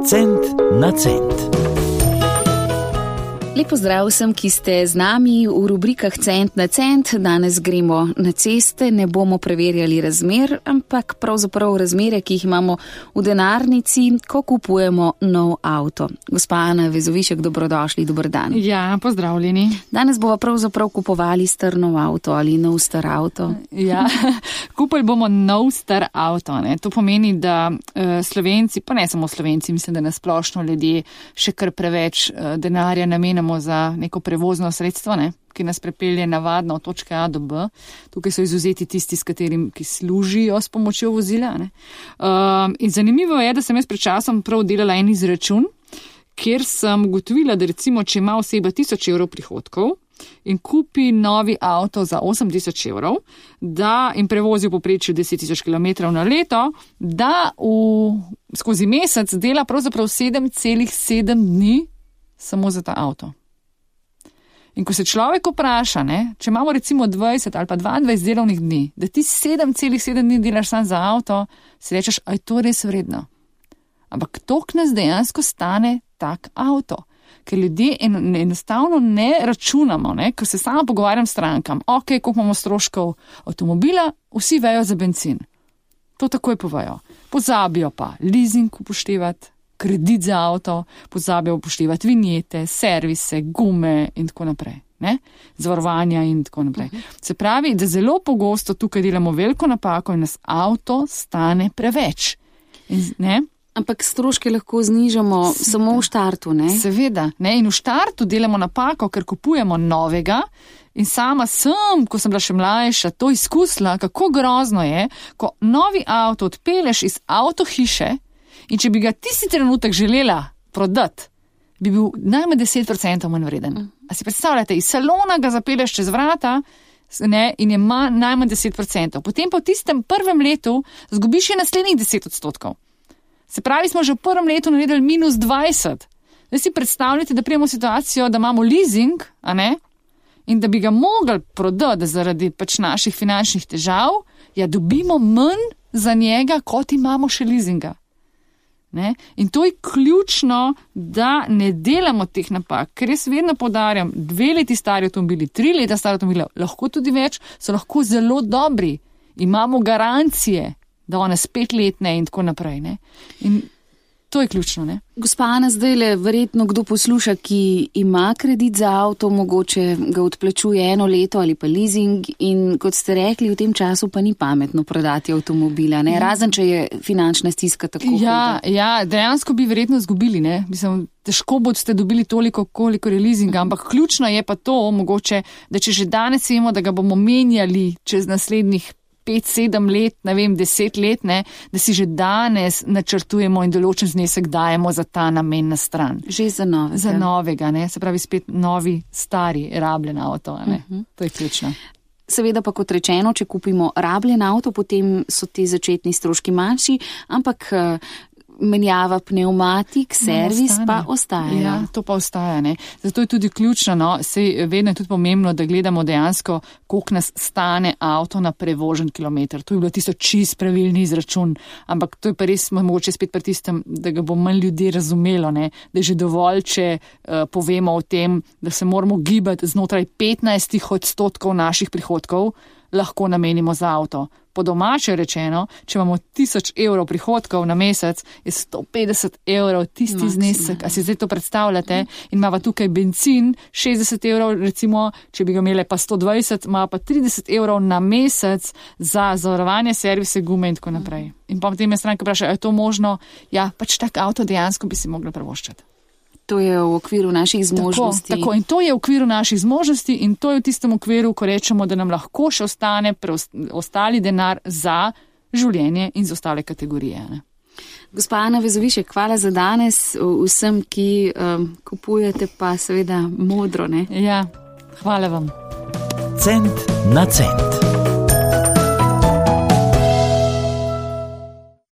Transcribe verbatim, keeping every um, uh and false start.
Cent na cent. Lep pozdrav vsem, ki ste z nami v rubrikah Cent na cent. Danes gremo na ceste, ne bomo preverjali razmer, ampak pravzaprav razmere, ki jih imamo v denarnici, ko kupujemo nov avto. Gospa Ana Vezovišek, dobrodošli, dober dan. Ja, pozdravljeni. Danes bova pravzaprav kupovali star nov avto ali nov star avto. Ja, kupili bomo nov star avto. Ne. To pomeni, da uh, Slovenci, pa ne samo Slovenci, mislim, da nasplošno ljudje še kar preveč uh, denarja namenjamo za neko prevozno sredstvo, ne, ki nas prepelje navadno od točke A do B. Tukaj so izvzeti tisti, s katerim, ki služijo s pomočjo vozila. Ne. Um, in zanimivo je, da sem jaz pred časom prav delala en izračun, kjer sem ugotovila, da recimo, če ima oseba tisoč evrov prihodkov in kupi novi avto za osem tisoč evrov, da in prevozi v povprečju deset tisoč kilometrov na leto, da v, skozi mesec dela pravzaprav sedem celih sedem dni samo za ta avto. In ko se človek vpraša, ne, če imamo recimo dvajset ali pa dvaindvajset delovnih dni, da ti sedem celih sedem dni delaš sam za avto, si rečeš, a je to res vredno. Ampak toliko nas dejansko stane tak avto. Ker ljudje en, enostavno ne računamo, ne, ko se sama pogovarjam s strankam, ok, koliko imamo stroškov avtomobila, vsi vejo za bencin. To takoj povejo. Pozabijo pa leasing upoštevati, kredit za avto, pozabijo upoštevati vinjete, servise, gume in tako naprej. Ne? Zavarovanja in tako naprej. Se pravi, da zelo pogosto tukaj delamo veliko napako in nas avto stane preveč. In, ne? Ampak stroške lahko znižamo Seveda. samo v štartu, ne? Seveda. Ne? In v štartu delamo napako, ker kupujemo novega. In sama sem, ko sem bila še mlajša, to izkusila, kako grozno je, ko novi avto odpeleš iz avtohiše. In če bi ga tisti trenutek želela prodati, bi bil najmanj deset procentov manj vreden. A si predstavljate, iz salona ga zapeleš čez vrata, ne, in je ma, najmanj deset procentov. Potem pa v tistem prvem letu zgubiš še naslednjih deset odstotkov. Se pravi, smo že v prvem letu naredili minus dvajset. Zdaj si predstavljate, da prijemo situacijo, da imamo leasing, a ne, in da bi ga mogli prodati zaradi pač naših finančnih težav, ja, dobimo manj za njega, kot imamo še leasinga. Ne? In to je ključno, da ne delamo teh napak, ker jaz vedno poudarjam, dve leti stari avtomobili, tri leta stari avtomobili, lahko tudi več, so lahko zelo dobri. Imamo garancije, da one petletne in tako naprej. Ne? In to je ključno. Ne? Gospa Ana, zdaj le verjetno kdo posluša, ki ima kredit za avto, mogoče ga odplačuje eno leto ali pa leasing in kot ste rekli, v tem času pa ni pametno prodati avtomobila, ne? Razen če je finančna stiska tako ja, huda. Ja, dejansko bi verjetno zgubili, ne? Mislim, težko boste dobili toliko, koliko je leasinga, ampak ključno je pa to mogoče, da če že danes vemo, da ga bomo menjali čez naslednjih pet, sedem let, ne vem, deset let, ne, da si že danes načrtujemo in določen znesek dajemo za ta namen na stran. Že za novega. Za novega, ne, se pravi spet novi, stari, rabljen avto, ne. Uh-huh. To je ključno. Seveda pa kot rečeno, če kupimo rabljen avto, potem so ti začetni stroški manjši, ampak menjava pneumatik, servis no, pa ostaja. Ja, to pa ostaja, ne. Zato je tudi ključno, no, sej vedno je tudi pomembno, da gledamo dejansko, koliko nas stane avto na prevožen kilometer. To je bilo tisto čist pravilni izračun, ampak to je pa res mogoče spet pri tistem, da ga bo manj ljudi razumelo, ne, da je že dovolj, če uh, povemo o tem, da se moramo gibati znotraj petnajst odstotkov naših prihodkov, lahko namenimo za avto. Po domače rečeno, če imamo tisoč evrov prihodkov na mesec, je sto petdeset evrov tisti Maksimum. Znesek. A si zdaj to predstavljate? In imamo tukaj bencin, šestdeset evrov, recimo, če bi ga imeli pa sto dvajset, ima pa trideset evrov na mesec za zavarovanje, servise, gume in tako naprej. In pa potem je stranka vpraša, je to možno? Ja, pač tak avto dejansko bi si mogli privoščiti. To je v okviru naših zmožnosti. Tako, tako, in to je v okviru naših zmožnosti in to je v tistem okviru, ko rečemo, da nam lahko še ostane preostali denar za življenje in za ostale kategorije. Ne? Gospa Ana Vezovišek, hvala za danes vsem, ki um, kupujete pa seveda modro. Ne? Ja, hvala vam. Cent na cent.